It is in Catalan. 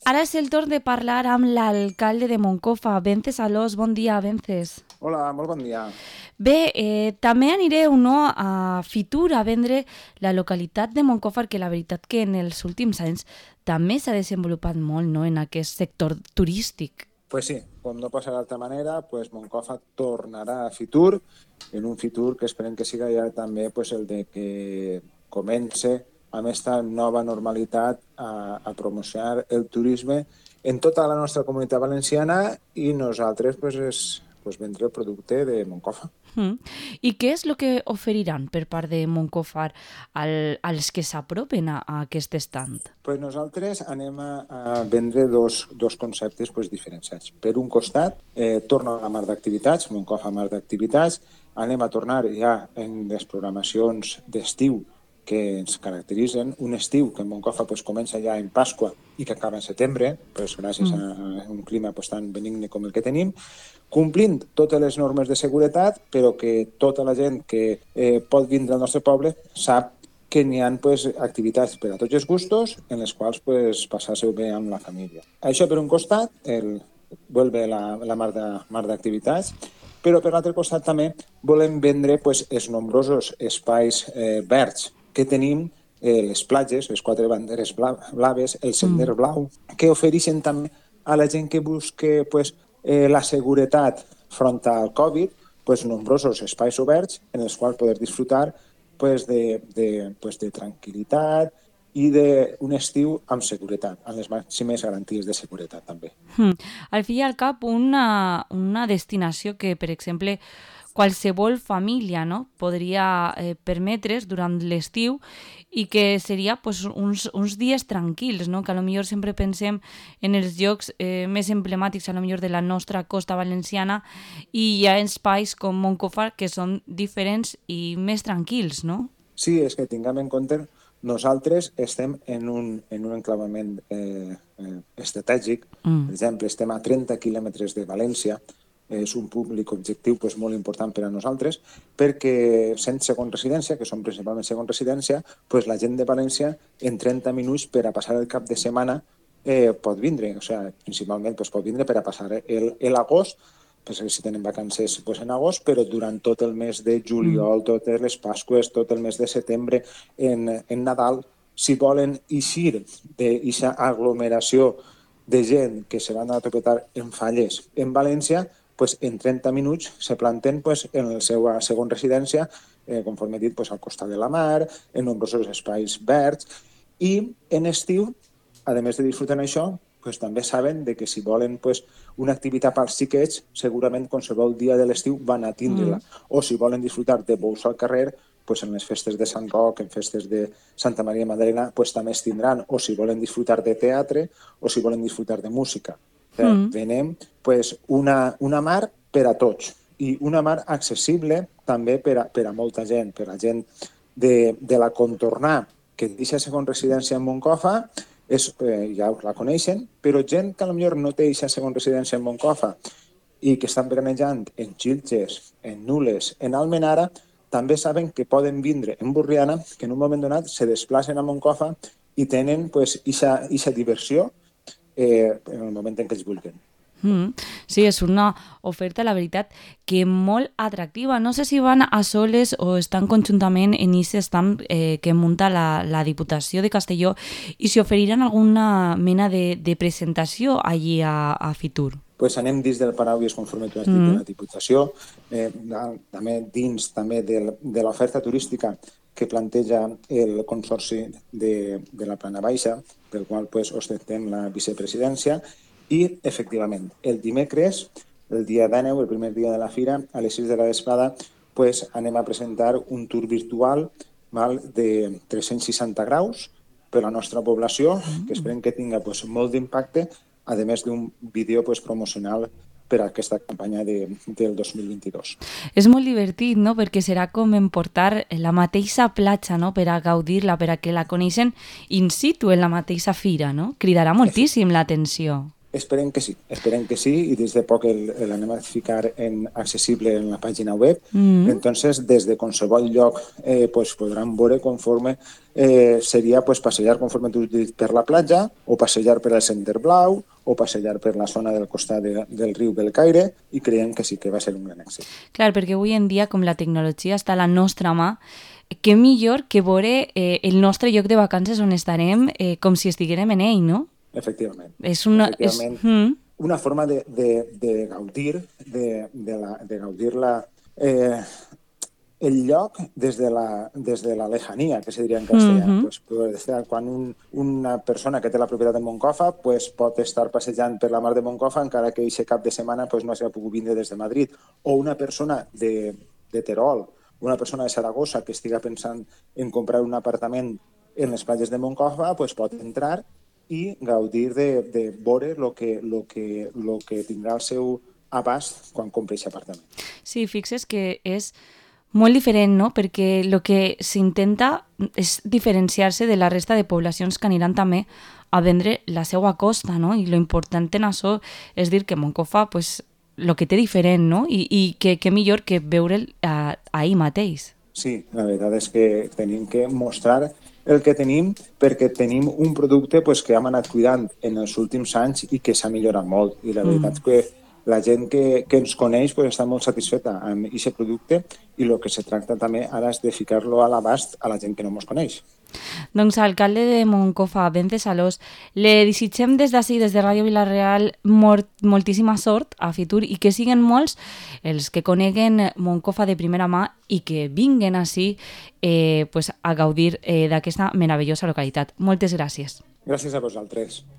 Ara és el torn de parlar amb l'alcalde de Moncofa, Vences Alòs. Bon dia, Vences. Hola, molt bon dia. Bé, també anireu a Fitur a vendre la localitat de Moncofa, que la veritat que en els últims anys també s'ha desenvolupat molt en aquest sector turístic. Pues sí, com no pot ser d'altra manera, pues Moncofa tornarà a Fitur, en un Fitur que esperem que siga ja també el de que comence amb aquesta nova normalitat a promocionar el turisme en tota la nostra comunitat valenciana i nosaltres vendre el producte de Moncofa. I què és el que oferiran per part de Moncofar als que s'apropen a aquest estand? Pues nosaltres anem a vendre dos conceptes diferenciats. Per un costat, torna a la mar d'activitats, Moncofa mar d'activitats, anem a tornar ja en les programacions d'estiu que ens caracteritzen, un estiu que en Moncofa comença ja en Pasqua i que acaba en setembre, gràcies a un clima tan benigne com el que tenim, complint totes les normes de seguretat, però que tota la gent que pot vindre al nostre poble sap que n'hi ha activitats per a tots els gustos en les quals passar-se-ho bé amb la família. Això per un costat, vuelve la mar d'activitats, però per l'altre costat també volem vendre els nombrosos espais verds que tenim, les platges, les 4 banderes blaves, el sender blau, que ofereixen també a la gent que busca la seguretat front al Covid, nombrosos espais oberts en els quals poder disfrutar de tranquil·litat i d'un estiu amb seguretat, amb les màximes garanties de seguretat també. Al fi i al cap, una destinació que, per exemple, qualsevol família podria permetre's durant l'estiu i que seria uns dies tranquils, que potser sempre pensem en els llocs més emblemàtics de la nostra costa valenciana i hi ha espais com Moncofa que són diferents i més tranquils, no? Sí, és que tinguem en compte, nosaltres estem en un enclavament estratègic, per exemple, estem a 30 quilòmetres de València, és un públic objectiu molt important per a nosaltres, perquè sent segon residència, que som principalment segon residència, la gent de València en 30 minuts per a passar el cap de setmana pot vindre, principalment pot vindre per a passar l'agost, si tenen vacances en agost, però durant tot el mes de juliol, totes les Pasques, tot el mes de setembre, en Nadal, si volen eixir d'aquesta aglomeració de gent que se van a topetar en falles en València, en 30 minuts se planten en la seva segona residència, conforme he dit, al costat de la mar, en nombrosos espais verds, i en estiu, a més de disfrutar això, també saben que si volen una activitat pels xiquets, segurament qualsevol dia de l'estiu van a tindre-la. O si volen disfrutar de bous al carrer, en les festes de Sant Roc, en festes de Santa Maria Magdalena, també es tindran. O si volen disfrutar de teatre, o si volen disfrutar de música. Venem una mar per a tots i una mar accessible també per a molta gent, per a gent de la contornar, que deixa segon residència en Moncofa, ja la coneixen, però gent que potser no té aquesta segona residència en Moncofa i que estan veranejant en Xilxes, en Nules, en Almenara, també saben que poden vindre en Borriana, que en un moment donat se desplacen a Moncofa i tenen aquesta diversió en el moment en què ells vulguin. Sí, és una oferta, la veritat, que molt atractiva. No sé si van a soles o estan conjuntament en aquest stand que munta la Diputació de Castelló i si oferiran alguna mena de presentació allí a Fitur. Anem dins del paraules, conforme tu has dit, de la Diputació, també dins de l'oferta turística que planteja el Consorci de la Plana Baixa, pel qual ostentem la vicepresidència, i, efectivament, el dimecres, el dia 19, el primer dia de la fira, a les 6 de la vesprada, anem a presentar un tour virtual de 360 graus per a la nostra població, que esperem que tinga molt d'impacte, a més d'un vídeo promocional per a aquesta campanya del 2022. És molt divertit, no?, perquè serà com emportar la mateixa platja, no?, per a gaudir-la, per a que la coneixen in situ en la mateixa fira, no? Cridarà moltíssim l'atenció. Esperem que sí, i des de poc l'anem a ficar accessible en la pàgina web. Entonces, des de qualsevol lloc pues, podran veure conforme seria pues, passejar, conforme tu dit, per la platja, o passejar per al Center Blau, o passejar per la zona del costat del riu Belcaire, i creiem que sí que va ser un gran èxit. Clar, perquè avui en dia, com la tecnologia està a la nostra mà, què millor que veure el nostre lloc de vacances on estarem com si estiguérem en ell, no? Efectivament. És una... Una forma de gaudir de gaudir el lloc des de la lejania, que se diria en castellà. Pues, quan una persona que té la propietat de Moncofa pues, pot estar passejant per la mar de Moncofa encara que aquest cap de setmana pues, no s'ha pogut vindre des de Madrid. O una persona de Terol, una persona de Saragossa que estiga pensant en comprar un apartament en les platges de Moncofa pues, pot entrar i gaudir de veure el que tindrà al seu abast quan compri aquest apartament. Sí, fixes que és molt diferent, no? Perquè el que s'intenta és diferenciar-se de la resta de poblacions que aniran també a vendre la seva costa, no? I lo important en això és dir que Moncofa, pues, el que té diferent, no? I que millor que veure'l ahir mateix. Sí, la veritat és que tenim que mostrar el que tenim perquè tenim un producte pues, que hem anat cuidant en els últims anys i que s'ha millorat molt. I la veritat és que la gent que ens coneix pues, està molt satisfeta amb aquest producte i el que se tracta també ara és de ficar-lo a l'abast a la gent que no ens coneix. Doncs, alcalde de Moncofa, Bence Salós, le desitgem des d'ací, des de Ràdio Vila-real, moltíssima sort a futur i que siguen molts els que coneguen Moncofa de primera mà i que vinguen ací pues, a gaudir d'aquesta meravellosa localitat. Moltes gràcies. Gràcies a vosaltres.